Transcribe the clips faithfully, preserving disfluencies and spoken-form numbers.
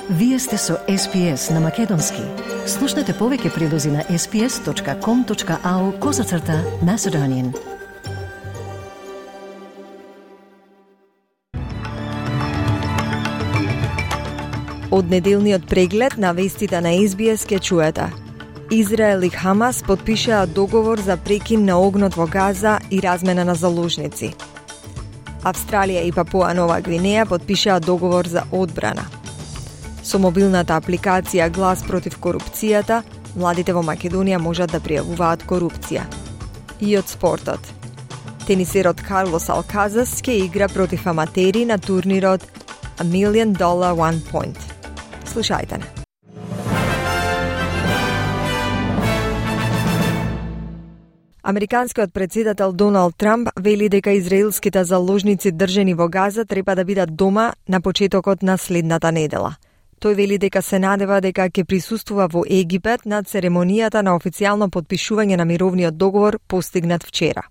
Вие сте со Ес Пи Ес на Македонски. Слушнете повеќе прилози на ес пи ес точка ком точка ау козацрта Macedonian. Од неделниот преглед на вестите на Ес Би Ес ке чуете. Израел и Хамас потпишаа договор за прекин на огнот во Газа и размена на заложници. Австралија и Папуа Нова Гвинеја потпишаа договор за одбрана. Со мобилната апликација Глас против корупцијата, младите во Македонија можат да пријавуваат корупција. И од спортот. Тенисерот Карлос Алказас ќе игра против аматери на турнирот A Million Dollar One Point. Слушајте не. Американскиот претседател Доналд Трамп вели дека израелските заложници држани во Газа треба да бидат дома на почетокот на следната недела. Тој вели дека се надева дека ќе присуствува во Египет на церемонијата на официјално потпишување на мировниот договор постигнат вчера.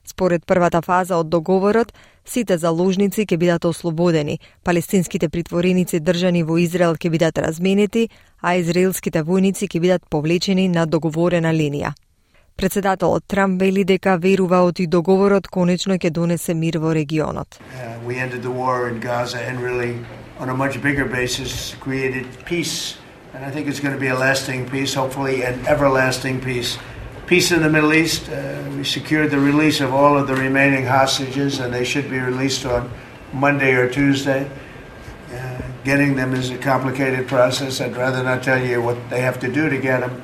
Според првата фаза од договорот, сите заложници ќе бидат ослободени, палестинските притвореници држани во Израел ќе бидат разменети, а израелските војници ќе бидат повлечени на договорена линија. Председателот Трамп вели дека верува оти договорот конечно ќе донесе мир во регионот. Uh, we ended the war in Gaza and really on a much bigger basis created peace. And I think it's going to be a lasting peace, hopefully an everlasting peace. Peace in the Middle East. Uh, we secured the release of all of the remaining hostages and they should be released on Monday or Tuesday. Uh, getting them is a complicated process. I'd rather not tell you what they have to do to get them.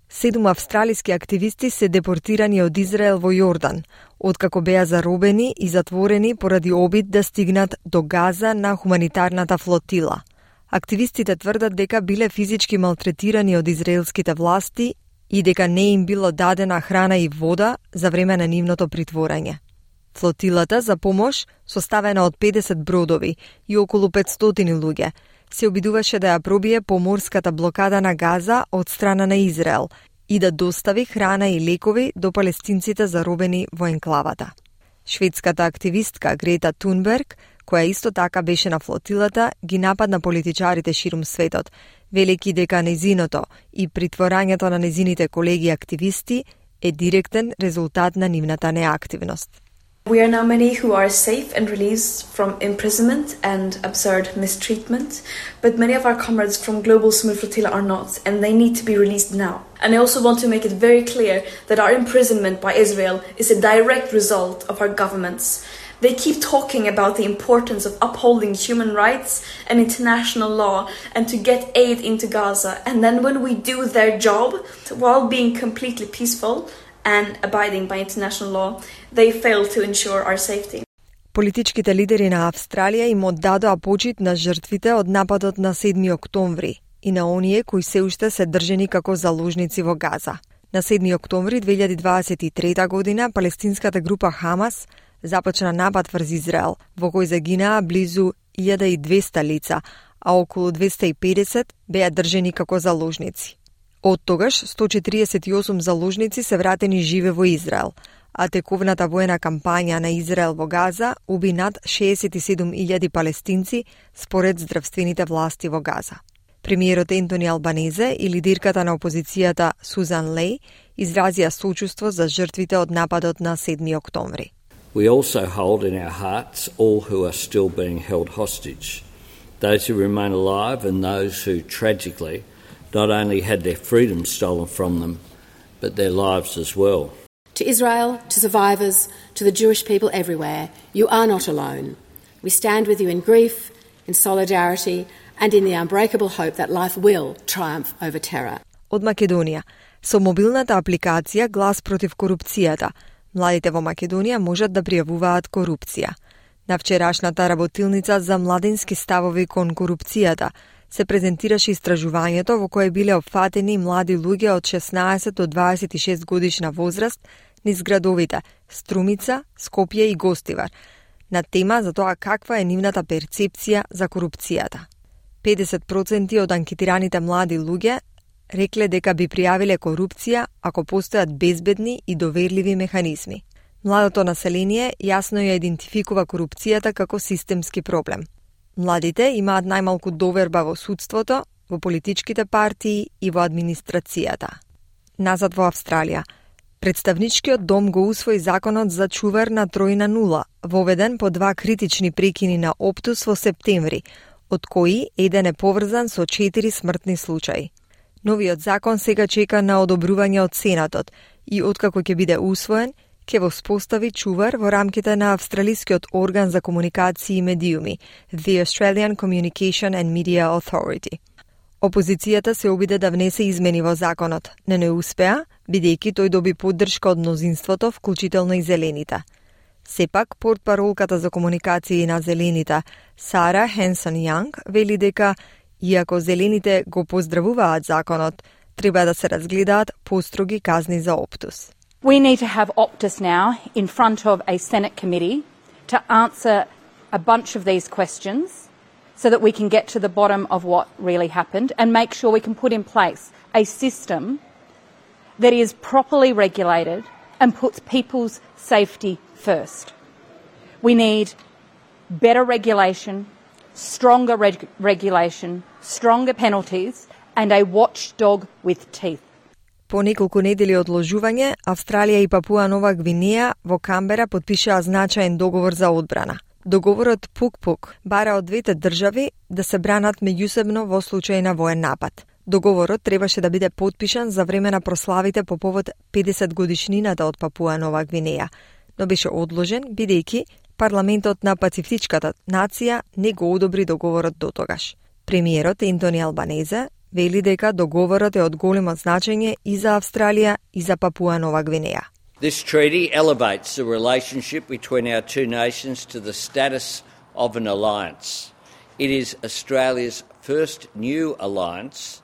Седум австралиски активисти се депортирани од Израел во Јордан, откако беа заробени и затворени поради обид да стигнат до Газа на хуманитарната флотила. Активистите тврдат дека биле физички малтретирани од израелските власти и дека не им било дадена храна и вода за време на нивното притворање. Флотилата за помош, составена од педесет бродови и околу петстотини луѓе, се обидуваше да ја пробие поморската блокада на Газа од страна на Израел и да достави храна и лекови до палестинците заробени во енклавата. Шведската активистка Грета Тунберг, која исто така беше на флотилата, ги нападна политичарите ширум светот, велики дека незиното и притворањето на незините колеги активисти е директен резултат на нивната неактивност. We are now many who are safe and released from imprisonment and absurd mistreatment, but many of our comrades from Global Smooth Flotilla are not, and they need to be released now. And I also want to make it very clear that our imprisonment by Israel is a direct result of our governments. They keep talking about the importance of upholding human rights and international law and to get aid into Gaza, and then when we do their job, while being completely peaceful and abiding by international law, they fail to ensure our safety. Политичките лидери на Австралија им оддадоа почит на жртвите од нападот на седми октомври и на оние кои се уште се држени како заложници во Газа. На седми октомври две илјади дваесет и трета година палестинската група Хамас започна напад врз Израел, во кој загинаа близу илјада и двесте лица, а околу двесте и педесет беа држени како заложници. Од тогаш сто четиридесет и осум заложници се вратени живе во Израел, а тековната воена кампања на Израел во Газа уби над шеесет и седум илјади палестинци според здравствените власти во Газа. Премиерот Ентони Албанезе и лидерката на опозицијата Сузан Леј изразија сочувство за жртвите од нападот на седми октомври. We also hold in our hearts all who are still being held hostage, those who remain alive and those who tragically not only had their freedom stolen from them, but their lives as well. To Israel, to survivors, to the Jewish people everywhere, you are not alone. We stand with you in grief, in solidarity, and in the unbreakable hope that life will triumph over terror. Од Македонија, со мобилната апликација Глас против корупцијата, младите во Македонија можат да пријавуваат корупција. На вчерашната работилница за младински ставови кон корупцијата се презентираше истражувањето во кое биле опфатени млади луѓе од шеснаесет до дваесет и шест годишна возраст низ градовите Струмица, Скопје и Гостивар, на тема за тоа каква е нивната перцепција за корупцијата. педесет проценти од анкетираните млади луѓе рекле дека би пријавиле корупција ако постојат безбедни и доверливи механизми. Младото население јасно ја идентификува корупцијата како системски проблем. Младите имаат најмалку доверба во судството, во политичките партии и во администрацијата. Назад во Австралија. Представничкиот дом го усвои законот за чувар на тројна нула, воведен по два критични прекини на Оптус во септември, од кои еден е поврзан со четири смртни случаи. Новиот закон сега чека на одобрување од Сенатот и откако ќе биде усвоен, ќе воспостави чувар во рамките на австралискиот орган за комуникации и медиуми, The Australian Communication and Media Authority. Опозицијата се обиде да внесе измени во законот, но не успеа, бидејќи тој доби поддршка од мнозинството, вклучително и зелените. Сепак, портпаролката за комуникации на зелените, Сара Хенсон Јанг, вели дека, иако зелените го поздравуваат законот, треба да се разгледаат построги казни за Оптус. We need to have Optus now in front of a Senate committee to answer a bunch of these questions so that we can get to the bottom of what really happened and make sure we can put in place a system that is properly regulated and puts people's safety first. We need better regulation, stronger reg- regulation, stronger penalties and a watchdog with teeth. По неколку недели одложување, Австралија и Папуа Нова Гвинеја во Камбера потпишаа значаен договор за одбрана. Договорот Пук-Пук бара од двете држави да се бранат меѓусебно во случај на воен напад. Договорот требаше да биде потпишан за време на прославите по повод педесет годишнината од Папуа Нова Гвинеја, но беше одложен бидејќи парламентот на Пацифичката нација не го одобри договорот дотогаш. Премиерот Ентони Албанезе вели дека договорот е од големо значење и за Австралија и за Папуа Нова Гвинеја. This treaty elevates the relationship between our two nations to the status of an alliance. It is Australia's first new alliance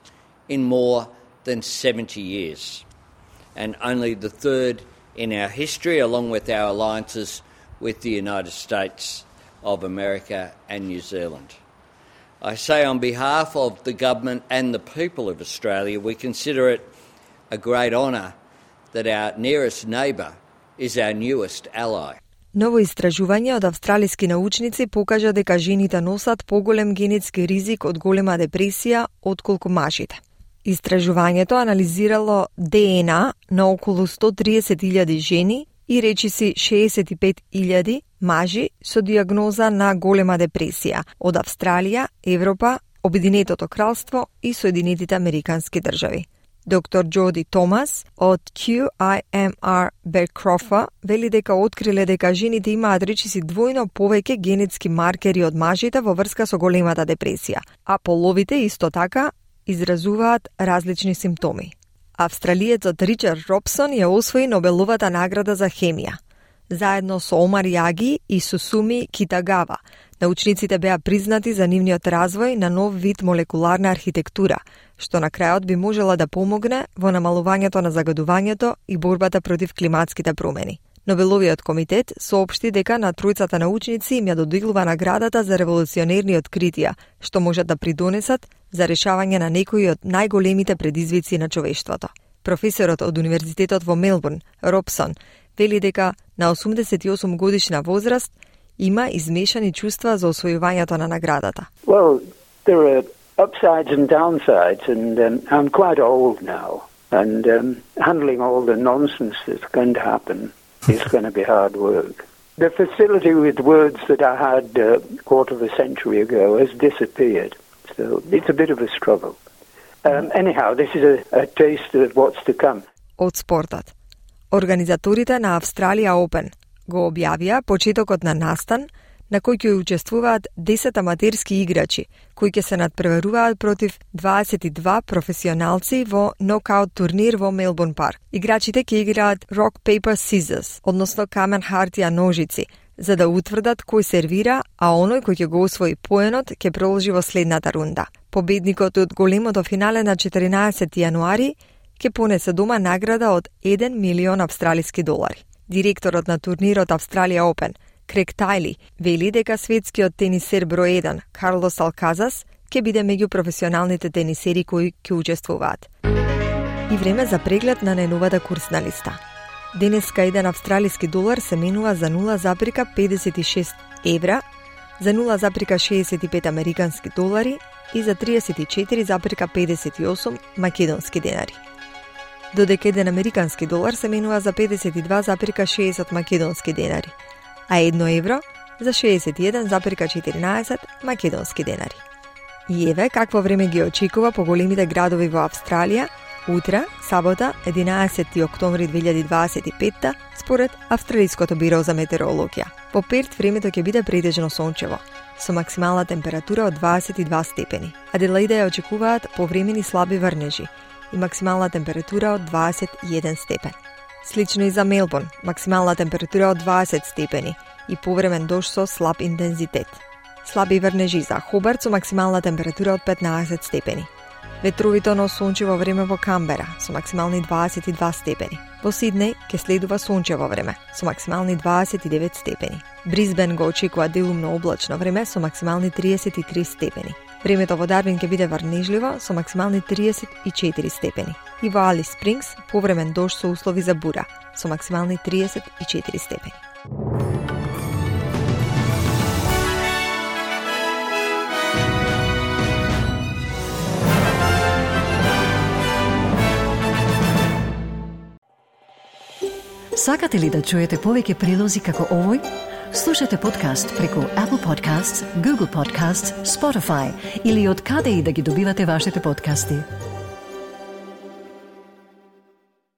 in more than seventy years, and only the third in our history, along with our alliances with the United States of America and New Zealand. I say on behalf of the government and the people of Australia, we consider it a great honour that our nearest neighbour is our newest ally. Ново истражување од австралиски научници покажа дека жените носат поголем генетски ризик од голема депресија отколку мажите. Истражувањето анализирало Д Н А на околу сто триесет илјади жени и речиси шеесет и пет илјади мажи со диагноза на голема депресија од Австралија, Европа, Обединетото кралство и Соединетите Американски држави. Доктор Джоди Томас од Q I M R Bearcroft вели дека откриле дека жените имаат речиси двојно повеќе генетски маркери од мажите во врска со големата депресија, а половите исто така изразуваат различни симптоми. Австралиецот Ричард Робсон ја освои Нобеловата награда за хемија. Заедно со Омар Јаги и Сусуми Китагава, научниците беа признати за нивниот развој на нов вид молекуларна архитектура, што на крајот би можела да помогне во намалувањето на загадувањето и борбата против климатските промени. Нобеловиот комитет соопшти дека на тројцата научници им ја доделува наградата за револуционерни откритија, што можат да придонесат за решавање на некои од најголемите предизвици на човештвото. Професорот од Универзитетот во Мелбурн, Робсон, вели дека на осумдесет и осум годишна возраст има измешани чувства за освојувањето на наградата. Well, there are upsides and downsides, and um, I'm quite old now, and um, handling all the nonsense that's going to happen is going to be hard work. The facility with words that I had a quarter of a century ago has disappeared, so it's a bit of a struggle. Um, anyhow, this is a, a taste of what's to come. Од спортот. Организаторите на Австралија Open го објавија почетокот на настан на кој ќе учествуваат десет аматерски играчи, кои ќе се надпреваруваат против дваесет и два професионалци во нокаут турнир во Мелбурн парк. Играчите ќе играат rock, paper, scissors, односно камен, хартија, ножици, за да утврдат кој сервира, а оној кој ќе го освои поенот ќе продолжи во следната рунда. Победникот од големото финале на четиринаесети јануари ќе понесе дома награда од еден милион австралиски долари. Директорот на турнирот Австралија Open, Крек Тајли, вели дека светскиот тенисер број еден, Карлос Алказас, ќе биде меѓу професионалните тенисери кои ќе учествуваат. И време за преглед на најновата курсна листа. Денеска еден австралиски долар се менува за нула запирка педесет и шест евра, за нула зарез шеесет и пет американски долари и за триесет и четири зарез педесет и осум македонски денари. Додека еден американски долар се менува за педесет и два зарез шеесет македонски денари, а едно евро за шеесет и еден зарез четиринаесет македонски денари. И еве какво време ги очекува по големите градови во Австралија утре, сабота, единаесети октомври две илјади дваесет и петта, според Австралиското биро за метеорологија. По Перт времето ќе биде претежно сончево, со максимална температура од дваесет и два степени. Аделаида ја очекуваат повремени слаби врнежи и максимална температура од дваесет и еден степен. Слично и за Мелбурн, максимална температура од дваесет степени и повремен дожд со слаб интензитет. Слаби врнежи за Хобарт со максимална температура од петнаесет степени. Ветровито сончево време во Камбера со максимални дваесет и два степени. Во Сиднеј ќе следува сончево време со максимални дваесет и девет степени. Брисбен го очекува делумно облачно време со максимални триесет и три степени. Времето во Дарвин ќе биде врнежливо со максимални триесет и четири степени. И во Алис Спрингс повремен дожд со услови за бура со максимални триесет и четири степени. Сакате ли да чуете повеќе прилози како овој? Слушате подкаст преку Apple Podcasts, Google Podcasts, Spotify или од каде и да ги добивате вашите подкасти.